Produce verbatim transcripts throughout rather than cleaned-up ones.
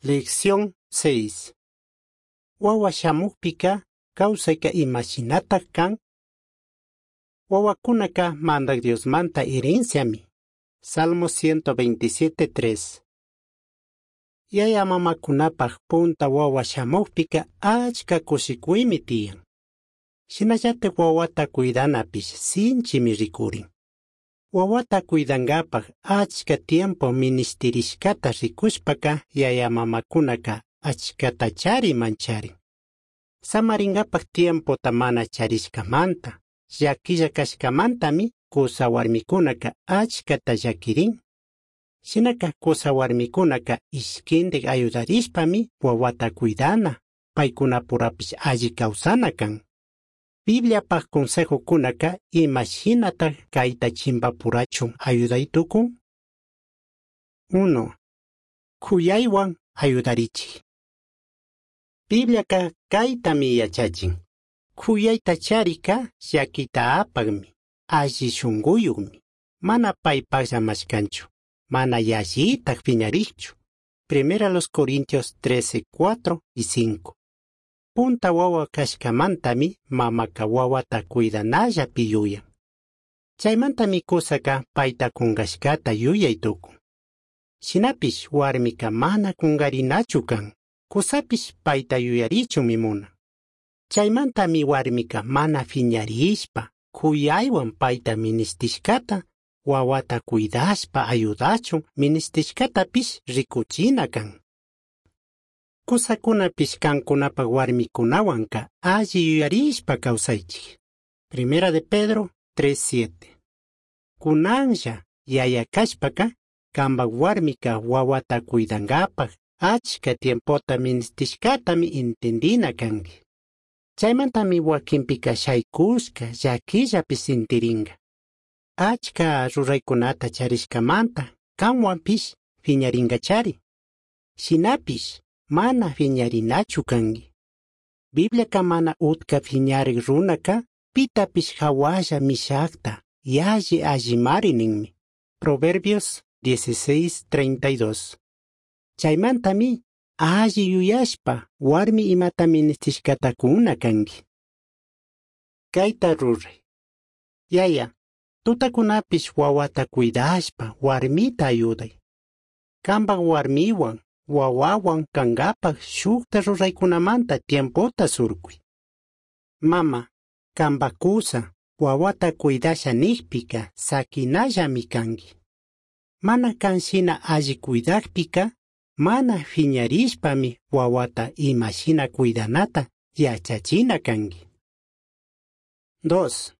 Lección seis. Wawa shamukpika kawsayka imashinatak kan? Wawakunaka Mandak Diosmanta herenciami. Salmo ciento veintisiete tres. Yaya mamakunapaj punta wawa shamukpika achka kushikuymi tiyan. Shinallatak wawata cuidanapish sinchimi rikurin. Wawata cuidankapaj achka tiempo ministirishkata rikushpaka yaya mamakunaka achkatachari mancharin. Samaringapaj tiempota mana charishkamanta, llaquilla kashkamantami kusa warmikunaka achkata llakirin. Shinaka kusa warmikunaka ishkindik ayudarishpami wawata cuidana, paykunapurapish alli kawsana kan. Bibliapaj consejokunaka imashinataj kayta chimpapurachun ayuday tukun? Uno. Kuyaywan ayudarichik. Bibliaka kaytami yachachin. Kuyayta charika llakita apakmi, alli shunquyuqmi, mana paypaqlla mashkanchu, mana yallitaj piñarikchu. Primera los Corintios trece, cuatro y cinco. Punta wawa kashkamantami mamaka wawata cuidanallapi yuyan. Chaymantami kusaka payta kunkashkata yuyay tukun. Shinapish warmika mana kunkarinachu kan, kusapish payta yuyarichunmi munan. Chaymantami warmika mana phiñarishpa, kuyaywan payta ministishkata, wawata cuidashpa ayudachun ministishkatapish rikuchina kan. Kusakunapish kankunapaj warmikunawanka alli yuyarishpa kawsaychik. Primera de Pedro tres siete. Kunanlla yaya kashpaka kanpak warmika wawata cuidankapaj achka tiempota ministishkatami entendina kanki. Chaymantami wakinpika shaykushka llakillapi sintirinka. Achka ruraykunata charishkamanta kanwanpish phiñarinkachari. Shinapish mana phiñarinachu kanki. Bibliaka mana utka phiñarik runaka pitapish hawalla mishakta yalli allimari ninmi. Proverbios dieciséis treinta y dos. Chaymantami alli yuyashpa warmi imata ministishkata kuna kanki. Kayta ruray. Yaya, tutakunapish wawata cuidashpa warmita ayuday. Kanpak warmiwan, wawawan kankapaj shukta ruraykunamanta tiempota surkuy. Mama, kanpak kusa, wawata cuidasha nikpika sakinallami kanki. Mana kan shina alli cuidakpika, mana phiñarishpami wawata imashina cuidanata yachachina kanki. Dos.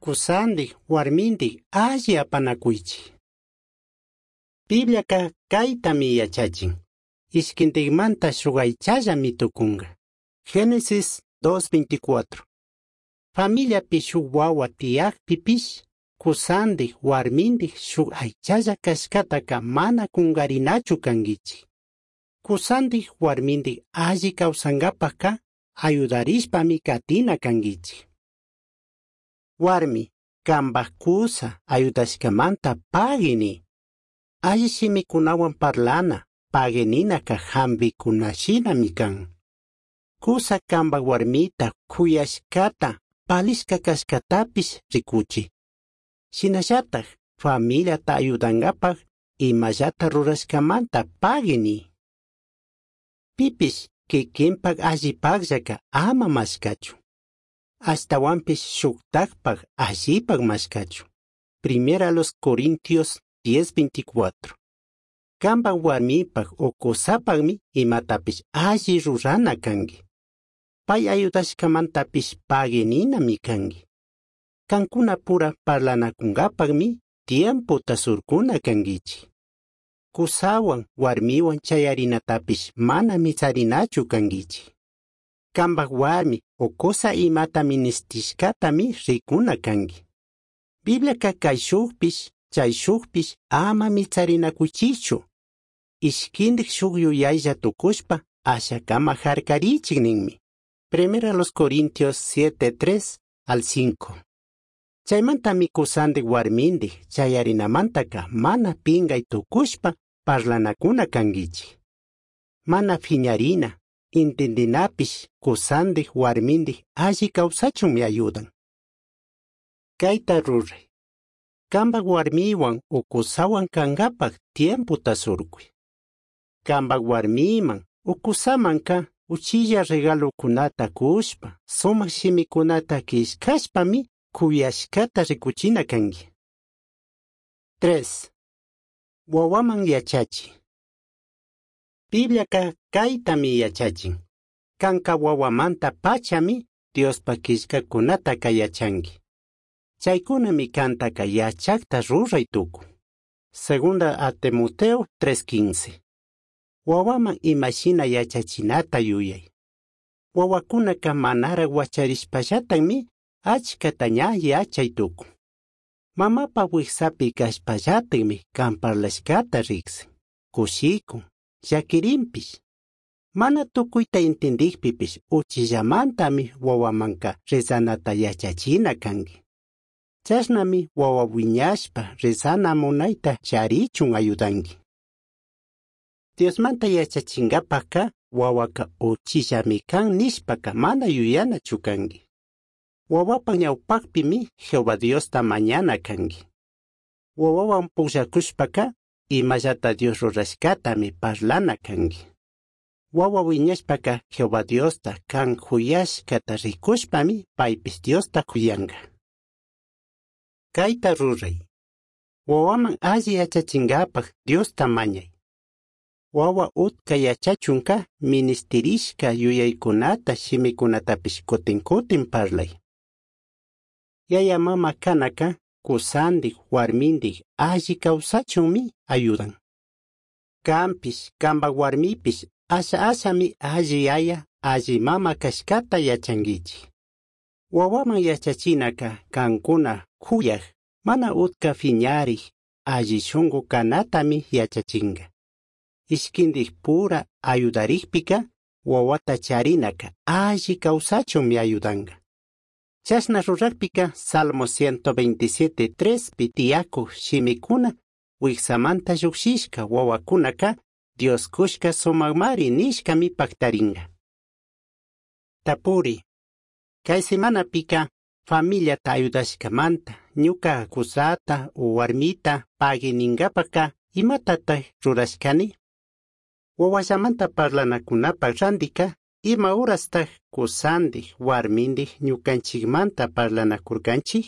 Kusandik warmindik alli apanakuychik. Bibliaka kaytami yachachin. Ishkintikmanta shuk aychallami tukunka. Génesis dos veinticuatro. Familiapi shuk wawa tiyakpipish, kusandik warmindik shuk aychalla kashkataka mana kunkarinachu kankichik. Kusandik warmindik alli kawsankapajka ayudarishpami katina kankichik. Warmi, kanpak kusa ayudashkamanta pagui. Alli shimikunawan parlana, paguininaka hampikunashinami kan. Kusa kanpak warmita kuyashkata, palishka kashkatapish rikuchi. Shinallataj familiata ayudankapaj imallata rurashkamanta paguini. Pipish kikinpak allipakllaka ama mashkachu. Ashtawanpish shuktakpak allipak mashkachu. Primera los Corintios diez veinticuatro. Kanpak warmipak o kusapakmi imatapish alli rurana kanki. Pay ayudashkamantapish paguininami kanki. Kankunapura parlanakunkapakmi tiempota surkuna kankichik. Kusawan warmiwan chayarinatapish mana mitsarinachu kankichik. Kanpak warmi o kusa imata ministishkatami rikuna kanki. Bibliaka kayshukpish chayshukpish ama mitsarinakuchichu. Ishkindik shuk yuyaylla tukushpa ashakama harkarichik ninmi. Primera los Corintios siete tres al cinco. Chaymantami kusandik warmindik chayarinamantaka mana pingay tukushpa parlanakuna kankichik. Mana fiñarina, intindinapish cusandij huarmindij alli causachunmi ayudan. Caita rurai. Cambaj huarmihuan o cusahuan cangapaj tiempota surcui. Cambaj huarmiman o cusamanca uchilla regalocunata cushpa, sumaj shimicunata quillcashpami cuyashcata ricuchina cangui. Tres. Wawaman yachachi. Bibliaca caitami yachachin. Canca wawamanta pachami Diospa quillcacunataca yachangui. Chaykunami kantaka yachakta ruray tukun. Segunda a Timoteo tres quince. Wawaman imashina yachachinata yuyay. Wawakunaka manara wacharishpallatami achkata ña yachay tukun. Mamapa wiksapi kashpallatami kan parlashkata riksin, kushikun, llakirinpish. Mana tukuyta intindikpipish uchillamantami wawamanka rezanata yachachina kanki. Chashnami wawa wiñashpa rezana munayta charichun ayudanki. Diosmanta yachachingapajka wawaka uchillami kan nishpaka mana yuyanachu kanki. Wawapa ñawpakpimi Jehová Diosta mañana kanki. Wawawan pukllakushpaka imallata Dios rurashkatami parlana kanki. Wawa wiñashpaka Jehová Diosta kan juyashkata rikushpami paypis Diosta kuyanka. Kayta ruray. Wawaman alli yachachingapaj Diosta mañay. Wawa utka yachachunka ministirishka yuyaykunata shimikunatapish kutin kutin parlay. Yaya mama kanaka kusandik warmindik alli kawsachunmi ayudan. Kanpish kanpa warmipish asha ashami alli yaya alli mama kashkata yachankichik. Wawaman yachachinaka kankuna kuyaj mana utka fiñarik alli shunku kanatami yachachinka. Ishkindik pura ayudarikpika wawata charinaka alli kawsachunmi ayudanka. Chashna rurakpika Salmo ciento veintisiete tres pi tiyakuj shimikuna wiksamanta llukshishka wawakunaka Dios kushka sumakmari nishkami paktarinka. Tapuri. Kay semanapika familiata ayudashkamanta ñuka kusata o warmita pagui ninkapaka imatataj rurashkani? Wawallamanta parlanakunapaj randika ima horastaj kusandik warmindik ñukanchikmanta parlanakurkanchik?